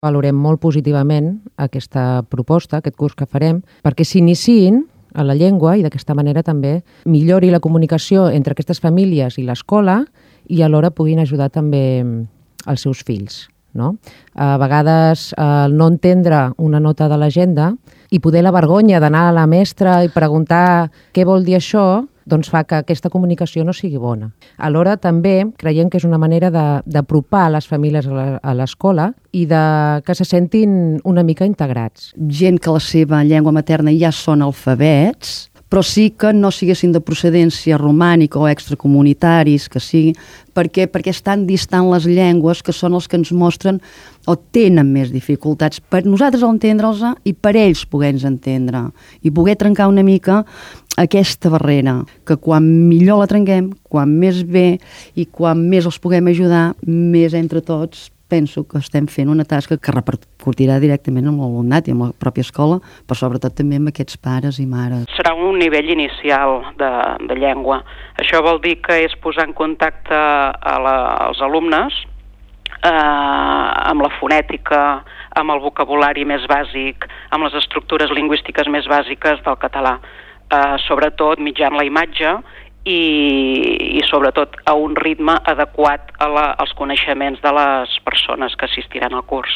Valorem molt positivament aquesta proposta, aquest curs que farem, perquè s'iniciïn a la llengua i d'aquesta manera també millori la comunicació entre aquestes famílies i l'escola i alhora puguin ajudar també els seus fills. No? A vegades no entendre una nota de l'agenda i poder la vergonya d'anar a la mestra i preguntar què vol dir això, doncs fa que aquesta comunicació no sigui bona. Alhora també creiem que és una manera d'apropar les famílies a l'escola i que se sentin una mica integrats. Gent que la seva llengua materna ja són alfabets, però sí que no siguessin de procedència romànica o extracomunitaris, que sigui, perquè estan distant les llengües que són els que ens mostren o tenen més dificultats per nosaltres entendre'ls i per ells poder-nos entendre i poder trencar una mica aquesta barrera, que quan millor la trenquem, quan més bé i quan més els puguem ajudar, més entre tots penso que estem fent una tasca que repercutirà directament amb l'alumnat i amb la pròpia escola, però sobretot també amb aquests pares i mares. Serà un nivell inicial de llengua. Això vol dir que és posar en contacte als alumnes amb la fonètica, amb el vocabulari més bàsic, amb les estructures lingüístiques més bàsiques del català, sobretot mitjançant la imatge i sobretot a un ritme adequat als coneixements de les persones que assistiran al curs.